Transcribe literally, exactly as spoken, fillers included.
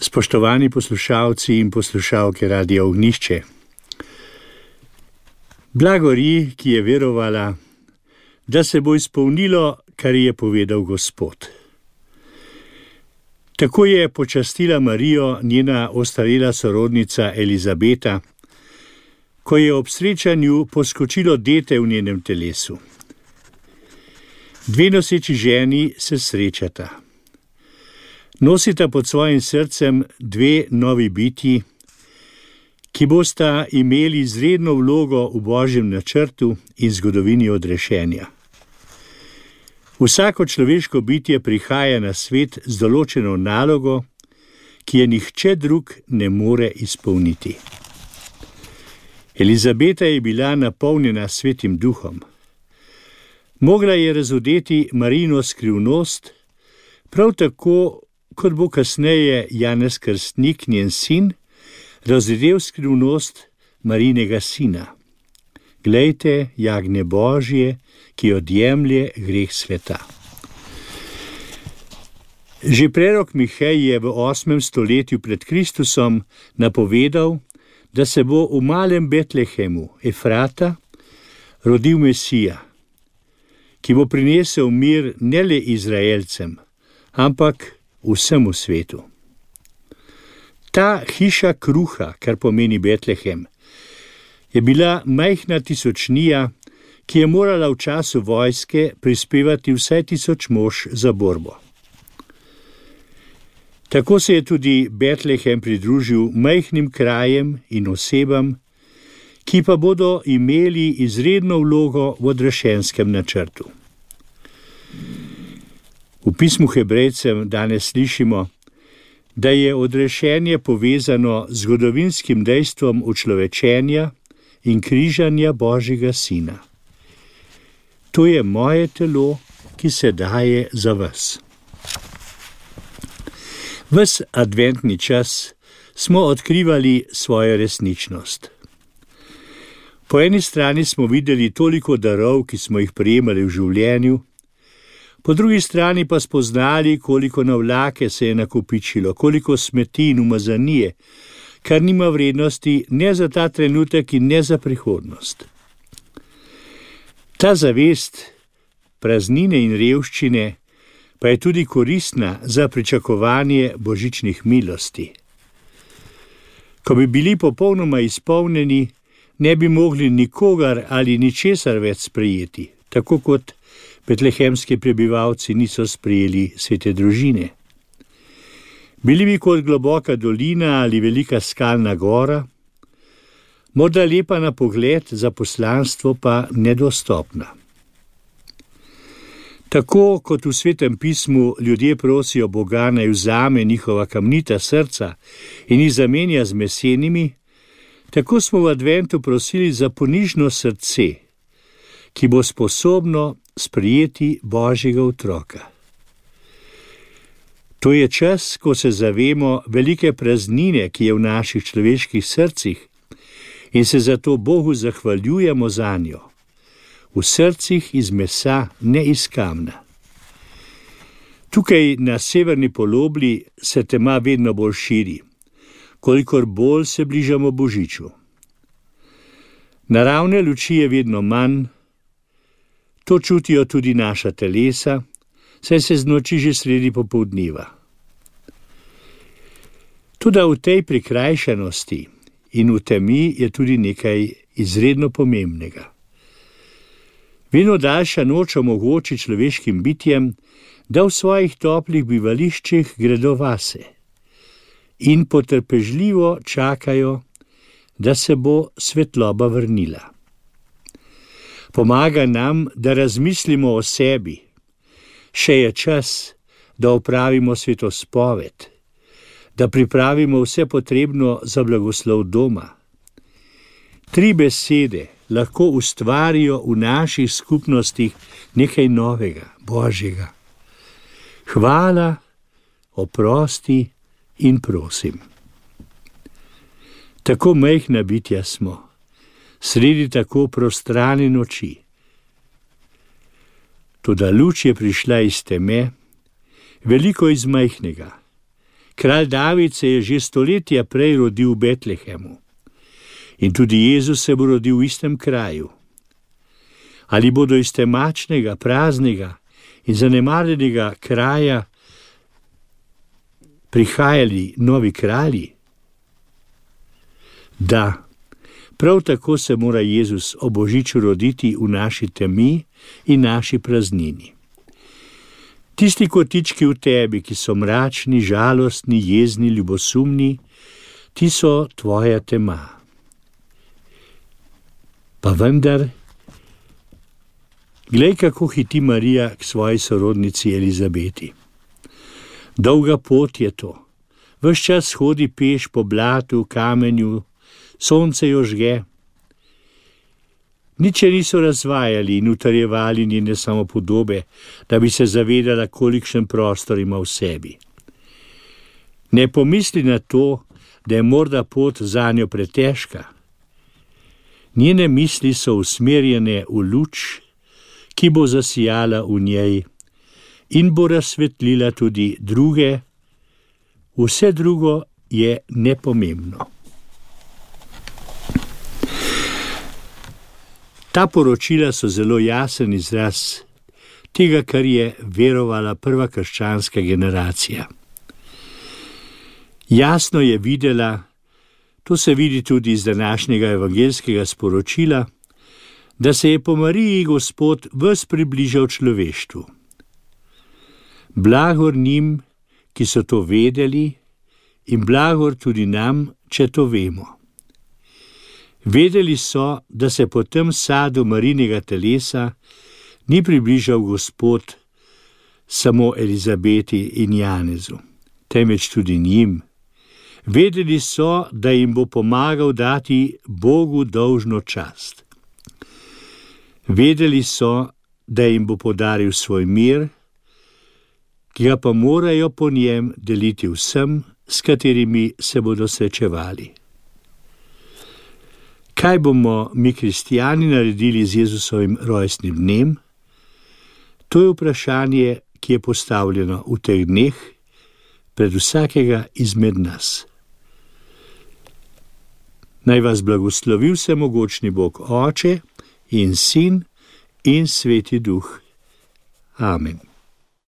Spoštovani poslušalci in poslušalke Radia Ognjišče. Blagori, ki je verovala, da se bo izpolnilo, kar je povedal Gospod. Tako je počastila Marijo njena ostarela sorodnica Elizabeta, ko je ob srečanju poskočilo dete v njenem telesu. Dve noseči ženi se srečata. Nosita pod svojim srcem dve novi bitji, ki bosta imeli izredno vlogo v Božjem načrtu in zgodovini odrešenja. Vsako človeško bitje prihaja na svet z določeno nalogo, ki je nihče drug ne more izpolniti. Elizabeta je bila napolnjena Svetim Duhom. Mogla je razodeti Marijino skrivnost, prav tako kot bo kasneje Janez Krstnik, njen sin, razvedel skrivnost Marijinega sina. Glejte, jagnje Božje, ki odjemlje greh sveta. Že prerok Mihej je v osmem stoletju pred Kristusom napovedal, da se bo v malem Betlehemu, Efrata, rodil Mesija, ki bo prinesel mir ne le Izraelcem, ampak vsemu svetu. Ta hiša kruha, kar pomeni Betlehem, je bila majhna tisočnija, ki je morala v času vojske prispevati vsaj tisoč mož za borbo. Tako se je tudi Betlehem pridružil majhnim krajem in osebam, ki pa bodo imeli izredno vlogo v odrešenskem načrtu. V pismu Hebrejcem danes slišimo, da je odrešenje povezano z zgodovinskim dejstvom učlovečenja in križanja Božjega sina. To je moje telo, ki se daje za vas. Ves adventni čas smo odkrivali svojo resničnost. Po eni strani smo videli toliko darov, ki smo jih prejemali v življenju, po drugi strani pa spoznali, koliko navlake se je nakopičilo, koliko smeti in umazanije, kar nima vrednosti ne za ta trenutek in ne za prihodnost. Ta zavest praznine in revščine pa je tudi koristna za pričakovanje božičnih milosti. Ko bi bili popolnoma izpolnjeni, ne bi mogli nikogar ali ničesar več sprejeti, tako kot betlehemski prebivalci niso sprejeli svete družine. Bili bi kot globoka dolina ali velika skalna gora, morda lepa na pogled, za poslanstvo pa nedostopna. Tako kot v Svetem pismu ljudje prosijo Boga, naj vzame njihova kamnita srca in jih zamenja z mesenimi, tako smo v adventu prosili za ponižno srce, ki bo sposobno sprejeti Božjega otroka. To je čas, ko se zavemo velike praznine, ki je v naših človeških srcih, in se zato Bogu zahvaljujemo zanjo. V srcih iz mesa, ne iz kamna. Tukaj na severni polobli se tema vedno bolj širi, kolikor bolj se bližamo Božiču. Naravne luči je vedno manj, to čutijo tudi naša telesa, saj se znoči že sredi popoldneva. Toda v tej prikrajšanosti in v temi je tudi nekaj izredno pomembnega. Vedno daljša noč omogoči človeškim bitjem, da v svojih toplih bivališčih gredo vase in potrpežljivo čakajo, da se bo svetloba vrnila. Pomaga nam, da razmislimo o sebi. Še je čas, da opravimo svetospoved, da pripravimo vse potrebno za blagoslov doma. Tri besede lahko ustvarijo v naših skupnostih nekaj novega, Božjega. Hvala, oprosti in prosim. Tako majhna bitja smo, sredi tako prostrane noči. Toda luč je prišla iz teme, veliko iz majhnega, Kralj David se je že stoletja prej rodil v Betlehemu. In tudi Jezus se bo rodil v istem kraju. Ali bodo iz temačnega, praznega in zanemarjenega kraja prihajali novi kralji? Da, prav tako se mora Jezus ob božiču roditi v naši temi in naši praznini. Tisti kotički v tebi, ki so mračni, žalostni, jezni, ljubosumni, ti so tvoja tema. Pa vendar, glej, kako hiti Marija k svoji sorodnici Elizabeti. Dolga pot je to. Ves čas hodi peš po blatu, kamenju, sonce jo žge. Nič je niso razvajali in utrjevali njene samopodobe, da bi se zavedala, kolikšen prostor ima v sebi. Ne pomisli na to, da je morda pot zanjo pretežka. Njene misli so usmerjene v luč, ki bo zasijala v njej in bo razsvetlila tudi druge. Vse drugo je nepomembno. Ta poročila so zelo jasen izraz tega, kar je verovala prva krščanska generacija. Jasno je videla, to se vidi tudi iz današnjega evangeljskega sporočila, da se je po Mariji Gospod ves približal človeštvu. Blagor njim, ki so to vedeli, in blagor tudi nam, če to vemo. Vedeli so, da se po tem sadu Marinega telesa ni približal Gospod samo Elizabeti in Janezu, temveč tudi njim. Vedeli so, da jim bo pomagal dati Bogu dolžno čast. Vedeli so, da jim bo podaril svoj mir, ki ga pa morajo po njem deliti vsem, s katerimi se bodo srečevali. Kaj bomo mi kristijani naredili z Jezusovim rojstnim dnem? To je vprašanje, ki je postavljeno v teh dneh pred vsakega izmed nas. Naj vas blagoslovi vsemogočni Bog Oče in Sin in Sveti Duh. Amen.